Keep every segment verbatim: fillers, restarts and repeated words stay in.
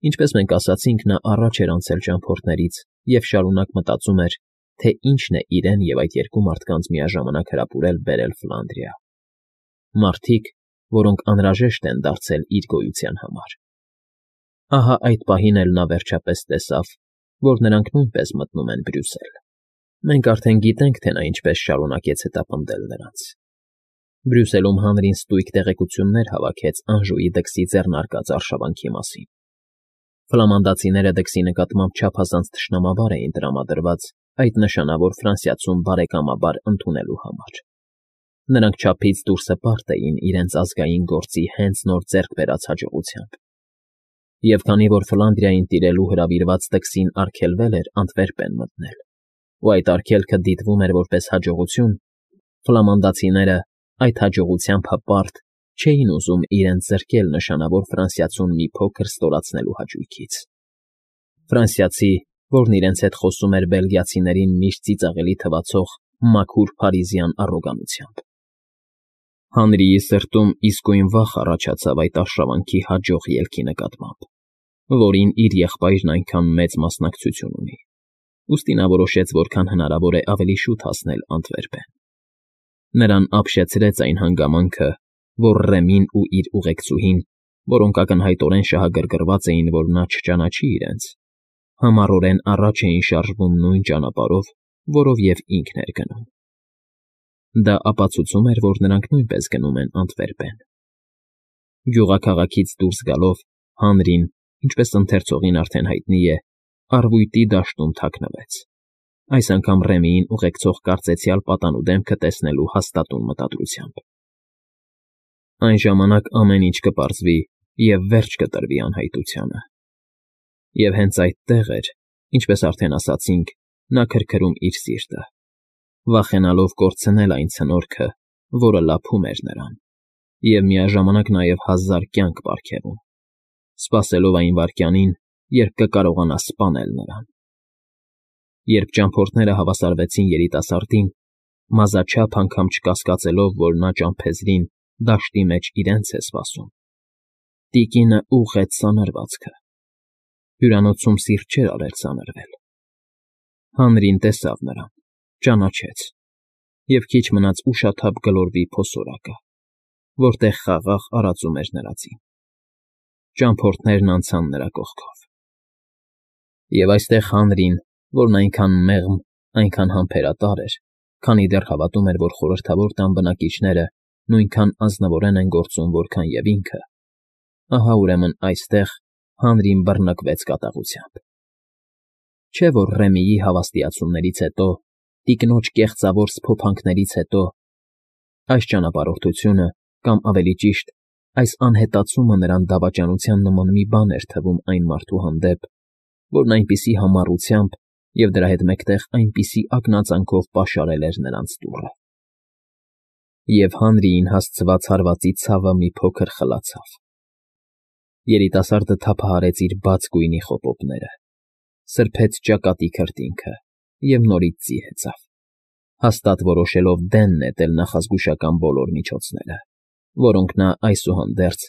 Ինչպես մենք ասացինք, նա առաջ էր անցել ճամփորդներից և շարունակ մտածում էր, թե ինչն է իրեն և այդ երկու մարդկանց միաժամանակ հրապուրել բերել Ֆլանդրիա. մարդիկ, որոնք անհրաժեշտ են դարձել իր գոյության համար։ Ահա այդ պահին էլ նա վերջապես տեսավ, որ նրանք նույնպես մտնում են Բրյուսել։ Մենք արդեն գիտենք, թե նա ինչպես շարունակեց հետապնդել նրանց։ Բրյուսելում հանրին ստույգ տեղեկություններ հավաքեց Անժուի դքսի ձեռնարկած արշավանքի մասին։ Ֆլամանդացիները դքսի նկատմամբ չափազանց թշնամաբար էին տրամադրված այդ նշանավոր Ֆրանսիացուն բարեկամաբար ընդունելու համար։ Նրանք չափից դուրս հպարտ էին իրենց ազգային գործի հենց նոր ձեռք բերած հաջողությամբ։ Եվ քանի որ Ֆլանդրիային տիրելու հրավիրված դքսին արգելվել էր Անտվերպեն մտնել, ու այդ արգելքը դիտվում էր որպես հաջողություն, ֆլամանդացիները այդ հաջողությամբ հպարտ չէին ուզում իրենց զրկել նշանավոր ֆրանսիացուն մի փոքր ստորացնելու հաճույքից։ Ֆրանսիացի, որն իրենց հետ խոսում էր բելգիացիներին միշտ ծիծաղելի թվացող մաքուր փարիզյան առոգանությամբ։ Հանրիի սրտում իսկույն վախ առաջացավ այդ արշավանքի հաջող ելքի նկատմամբ, որին իր եղբայրն այնքան մեծ մասնակցություն ունի, ուստի նա որոշեց որքան հնարավոր է ավելի շուտ հասնել Անտվերպեն։ Նրան ապշեցրեց այն հանգամանքը, որ Ռեմին ու իր ուղեկցուհին, որոնք ակնհայտորեն շահագրգռված էին, որ նա չճանաչի իրենց, համառորեն առաջ էին շարժվում նույն ճանապարհով, որով և ինքն էր գնում։ Դա ապացուցում էր, որ նրանք նույնպես գնում են Անտվերպեն։ Գյուղաքաղաքից դուրս գալով հանրին, ինչպես ընթերցողին արդեն հայտնի է, առվույտի դաշտում թաքնվեց, այս անգամ Ռեմիին ուղեկցող կարծեցյալ պատանու դեմքը տեսնելու հաստատուն մտադրությամբ։ Այն ժամանակ ամեն ինչ կպարզվի և վերջ կտրվի անհայտությանը։ Եվ հենց այդտեղ էր, ինչպես արդեն ասացինք, նա քրքրում իր սիրտը, վախենալով կորցնել այն ցնորքը, որը լափում էր նրան, և միաժամանակ նաև հազար կյանք պարգևում, սպասելով այն վայրկյանին, երբ կկարողանա սպանել նրան։ Երբ ճամփորդները հավասարվեցին երիտասարդին, մազաչափ անգամ չկասկածելով, որ նա ճամփեզրին դաշտի մեջ իրենց է սպասում, տիկինը ուղղեց սանրվածքը։ Հյուրանոցում սիրտ չէր արել սանրվել։ Հանրին տեսավ նրան, ճանաչեց, և քիչ մնաց ուշաթափ գլորվի փոսորակը, որտեղ խաղաղ արածում էր նրա ձին։ Ճամփորդներն անցան նրա կողքով։ Եվ այստեղ հանրին, որն այնքան մեղմ, այնքան համբերատար էր, քանի դեռ հավատում էր, որ խորհրդավոր տան բնակիչները նույնքան ազնվորեն են գործում, որքան և ինքը, ահա ուրեմն այստեղ հանրին բռնկվեց կատաղությամբ։ Չէ՞ որ Ռեմիի հավաստիացումներից հետո, տիկնոջ կեղծավոր սփոփանքներից հետո, այս ճանապարհորդությունը, կամ ավելի ճիշտ, այս անհետացումը նրան դավաճանության նման մի բան էր թվում այն մարդու հանդեպ, որն այնպիսի համառությամբ և դրա հետ մեկտեղ այնպիսի ակնածանքով պաշարել էր նրանց դուռը։ Եվ հանրիին հասցված հարվածի ցավը մի փոքր խլացավ։ Երիտասարդը թափահարեց իր բաց գույնի խոպոպները, սրբեց ճակատի քրտինքը և նորից ձի հեծավ, հաստատ որոշելով դեն նետել նախազգուշական բոլոր միջոցները, որոնք նա այսուհանդերձ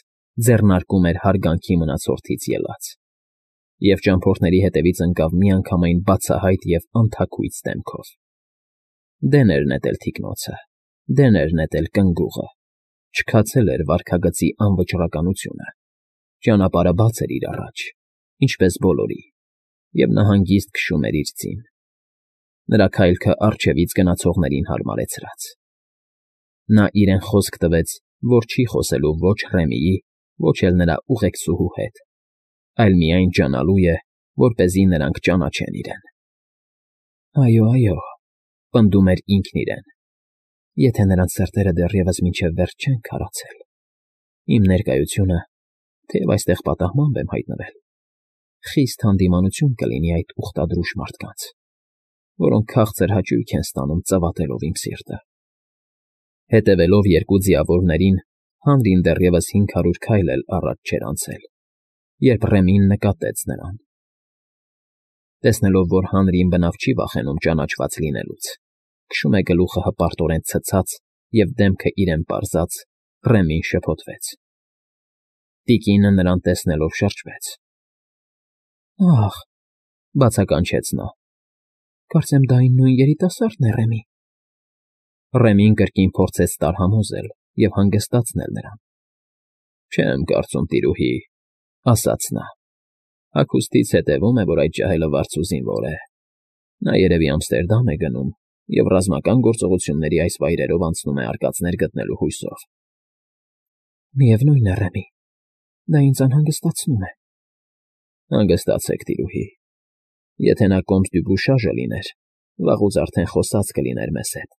ձեռնարկում էր հարգանքի մնացորդից ելած, և ճամփորդների հետևից ընկավ միանգամայն բացահայտ և անթաքույց դեմքով։ Դեն էր նետել թիկնոցը, դեն էր նետել կնգուղը, չքացել էր վարքագծի անվճռականությունը, ճանապարհը բաց էր իր առաջ, ինչպես բոլորի, և նա հանգիստ քշում էր իր ձին, նրա քայլքը առջևից գնացողներին հարմարեցրած։ Նա իրեն խոսք տվեց, որ չի խոսելու ոչ Ռեմիի, ոչ էլ նրա ուղեկցուհու հետ, այլ միայն ջանալու է, որպեսզի նրանք ճանաչեն իրեն։ «Այո, այո,֊ պնդում էր ինքն իրեն,֊ եթե նրանց սրտերը դեռևս մինչև վերջ չեն քարացել, իմ ներկայությունը, թեև այստեղ պատահմամբ եմ հայտնվել, խիստ հանդիմանություն կլինի այդ ուխտադրուժ մարդկանց, որոնք քաղցր հաճույք են ստանում ծավատելով իմ սիրտը»։ Հետևելով երկու ձիավորներին, հանրին դեռևս հինգ հարյուր քայլ էլ առաջ չէր անցել, երբ Ռեմին նկատեց նրան։ Տեսնելով, որ հանրին բնավ չի վախենում ճանաչված լինելուց, քշում է գլուխը հպարտորեն ցցած և դեմքը իրեն պարզած, Ռեմին շփոթվեց։ Տիկինը նրան տեսնելով շրջվեց։ Ախ,֊ բացականչեց նա։֊ Կարծեմ դա այն նույն երիտասարդն է, Ռեմի… Ռեմին կրկին փորձեց տարհամոզել և հանգստացնել նրան։ ֊ Չեմ կարծում, տիրուհի,֊ ասաց նա։֊ Հագուստից հետևում է, որ այդ ջահելը վարձու զինվոր է։ Նա երևի Ամստերդամ է գնում և ռազմական գործողությունների այս վայրերով անցնում է արկածներ գտնելու հույսով։ ֊ Միևնույն է, Ռեմի, դա ինձ անհանգստացնում է։ ֊ Հանգստացեք, տիրուհի… Եթե նա կոմտ դյուբուշաժը լիներ, վաղուց արդեն խոսած կլիներ մեզ հետ։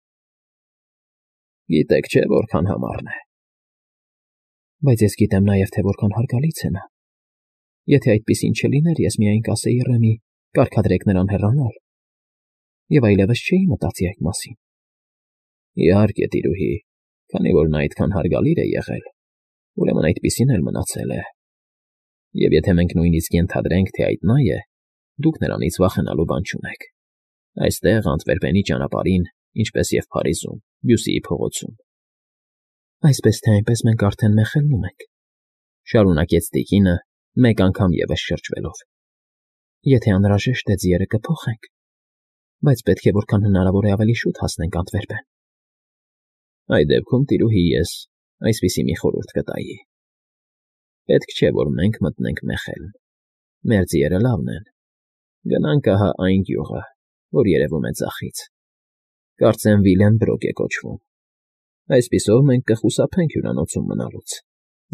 Գիտեք չէ՞ որքան համառն է։ ֊ Բայց ես գիտեմ նաև, թե որքան հարգալից է նա։ Եթե այդպիսին չլիներ, ես միայն կասեի Ռեմի՝ կարգադրեք նրան հեռանալ, և այլևս չէի մտածի այդ մասին։ ֊ Իհարկե, տիրուհի, քանի որ նա այդքան հարգալից է եղել, ուրեմն այդպիսին էլ մնացել է։ Եվ եթե մենք նույնիսկ ենթադրենք, թե այդ նա է, դուք նրանից վախենալու բան չունեք։ Այստեղ, Անտվերպենի ճանապարհին, ինչպես և Փարիզում, Բյուսիի փողոցում։ ֊ Այսպես թե այնպես մենք արդեն մեղելնում ենք,֊ շարունակեց տիկինը, մեկ անգամ ևս շրջվելով։֊ Եթե անհրաժեշտ է, ձիերը կփոխենք, բայց պետք է որքան հնարավոր է ավելի շուտ հասնենք Անտվերպեն։ ֊ Այդ դեպքում, տիրուհի, ես այսպիսի մի խորհուրդ կտայի. Պետք չէ, որ մենք մտնենք Մեխելն։ Մեր ձիերը լավն են։ Գնանք ահա այն գյուղը, որ երևում է ձախից. կարծեմ Վիլենբրոկ է կոչվում։ Այսպիսով մենք կխուսափենք հյուրանոցում մնալուց,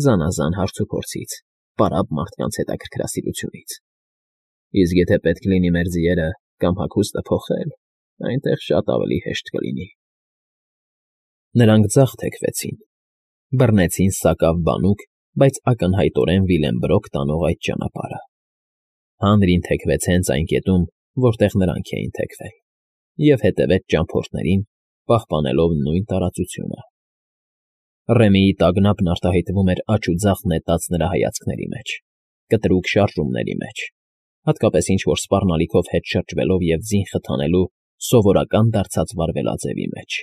զանազան հարցուփորձից, պարապ մարդկանց հետաքրքրասիրությունից։ Իսկ եթե պետք լինի մեր ձիերը կամ հագուստը փոխել, այնտեղ շատ ավելի հեշտ կլինի։ Նրանք ձախ թեքվեցին, բռնեցին սակավ բանուկ, բայց ակնհայտորեն Վիլենբրոկ տանող այդ ճանապարհը։ Հանրին թեքվեց հենց այն կետում, որտեղ նրանք էին թեքվել, և հետևեց ճամփորդներին, պահպանելով նույն տարածությունը։ Ռեմիի տագնապն արտահայտվում էր աջ ու ձախ նետած նրա հայացքների մեջ, կտրուկ շարժումների մեջ, հատկապես ինչ֊որ սպառնալիքով հետ շրջվելով և ձին խթանելու սովորական դարձած վարվելաձևի մեջ։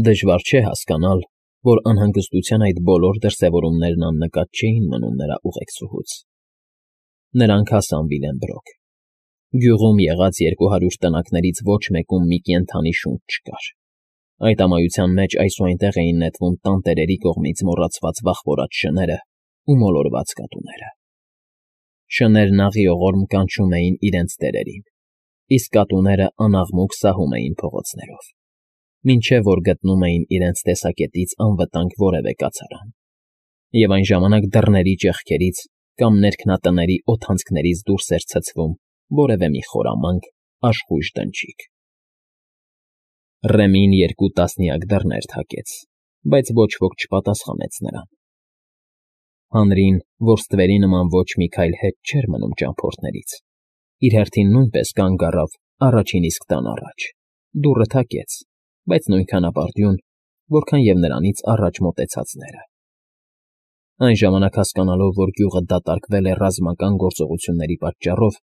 Դժվար չէ հասկանալ, որ անհանգստության այդ բոլոր դրսևորումներն աննկատ չէին մնում նրա ուղեկցուհուց։ Նրանք հասան Վիլենբրոկ։ Գյուղում եղած երկու հարյուր տնակներից ոչ մեկում մի կենդանի շունչ չկար։ Այդ ամայության մեջ այս ու այնտեղ էին նետվում տանտերերի կողմից մոռացված վախվորած շները ու մոլորված կատուները։ Շներն աղիողորմ կանչում էին իրենց տերերին, իսկ կատուները անաղմուկ սահում էին փողոցներով, մինչև որ գտնում էին իրենց տեսակետից անվտանգ որևէ կացարան, և այն ժամանակ դռների ճեղքերից կամ ներքնատների օդանցքներից դուրս էր ցցվում որևէ մի խորամանկ, աշխույժ դնչիկ։ Ռեմին երկու տասնյակ դռներ թակեց, բայց ոչ ոք չպատասխանեց նրան։ Հանրին, որ ստվերի նման ոչ մի քայլ հետ չէր մնում ճամփորդներից, իր հերթին նույնպես կանգ առավ առաջին իսկ տան առաջ, դուռը թակեց, բայց նույնքան ապարդյուն, որքան և նրանից առաջ մոտեցածները։ Այն ժամանակ հասկանալով, որ գյուղը դատարկվել է ռազմական գործողությունների պատճառով,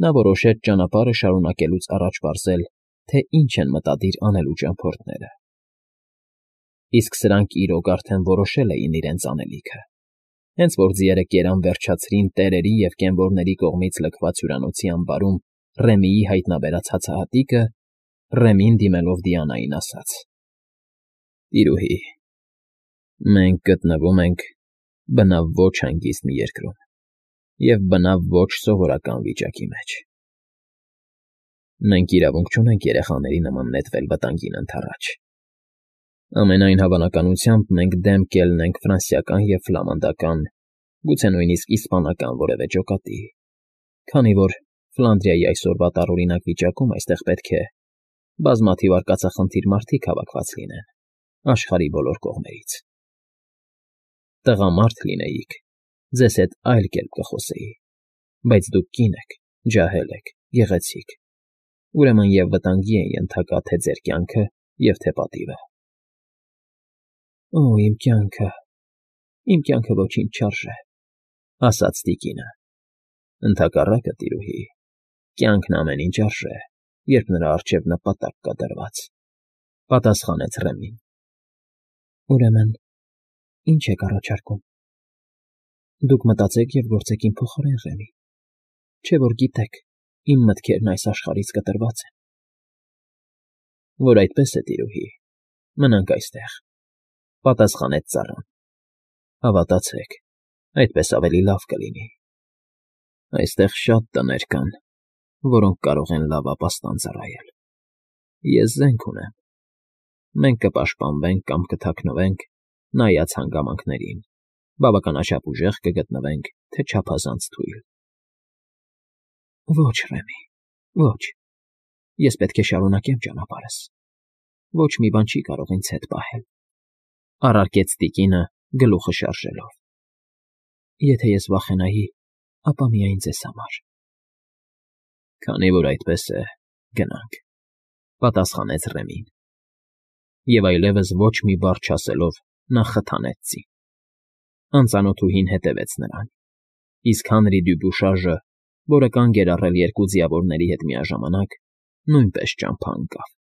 նա որոշեց ճանապարհը շարունակելուց առաջ պարզել, թե ինչ են մտադիր անելու ճամփորդները։ Իսկ սրանք իրոք արդեն որոշել էին իրենց անելիքը, հենց որ ձիերը կերան վերջացրին տերերի և կենվորների կողմից լքված հյուրանոցի ամբարում Ռեմիի հայտնաբերած հացահատիկը, Ռեմին դիմելով Դիանային ասաց. ֊ Տիրուհի, մենք գտնվում ենք բնավ ոչ հանգիստ մի երկրում և բնավ ոչ սովորական վիճակի մեջ։ Մենք իրավունք չունենք երեխաների նման նետվել վտանգին ընդառաջ։ Ամենայն հավանականությամբ մենք դեմ կելնենք ֆրանսիական և ֆլամանդական, գուցե նույնիսկ իսպանական որևէ ջոկատի, քանի որ Ֆլանդրիայի այսօրվա տարօրինակ վիճակում այստեղ պետք է բազմաթիվ արկածախնդիր մարդիկ հավաքված լինեն աշխարհի բոլոր կողմերից։ Տղամարդ լինեիք, ձեզ հետ այլ կերպ կխոսեի, բայց դուք կին եք, ջահել եք, գեղեցիկ, ուրեմն և վտանգի են ենթակա թե ձեր կյանքը և թե պատիվը։ ֊ Օ՜, իմ կյանքը, իմ կյանքը ոչինչ չարժե,֊ ասաց տիկինը։ ֊ Ընդհակառակը, տիրուհի, կյանքն ամեն ինչ արժե, երբ նրա առջև նպատակ կա դրված,֊ պատասխանեց Ռեմին։ ֊ Ուրեմն ի՞նչ եք առաջարկում։ ֊ Դուք մտածեք և գործեք իմ փոխարեն, Ռեմի, Չէ՞ որ գիտեք, իմ մտքերն այս աշխարհից կտրված են։ ֊ Որ այդպես է, տիրուհի, մնանք այստեղ,֊ պատասխանեց ծառան։֊ Հավատացեք, այդպես ավելի լավ կլինի։ Այստեղ շատ տներ կան, որոնք կարող են լավ ապաստան ծառայել։ Ես զենք ունեմ։ Մենք կպաշտպանվենք կամ կթաքնվենք, նայած հանգամանքներին, բավականաչափ ուժեղ կգտնվենք, թե չափազանց թույլ։ ֊ Ոչ, Ռեմի, ոչ, ես պետք է շարունակեմ ճանապարհս, ոչ մի բան չի կարող ինձ հետ պահել,֊ առարկեց տիկինը, գլուխը շարժելով։ Եթե ես վախենայի, ապա միայն ձեզ համար։ ֊ Քանի որ այդպես է, գնանք,֊ պատասխանեց Ռեմին։ Եվ այլևս ոչ մի բառ չասելով նա խթանեց ծին։ Անծանոթուհին հետևեց նրան, իսկ Հանրի Դյուբուշաժը, որը կանգ էր առել երկու ձիավորների հետ միաժամանակ, նույնպես ճամփա ընկավ։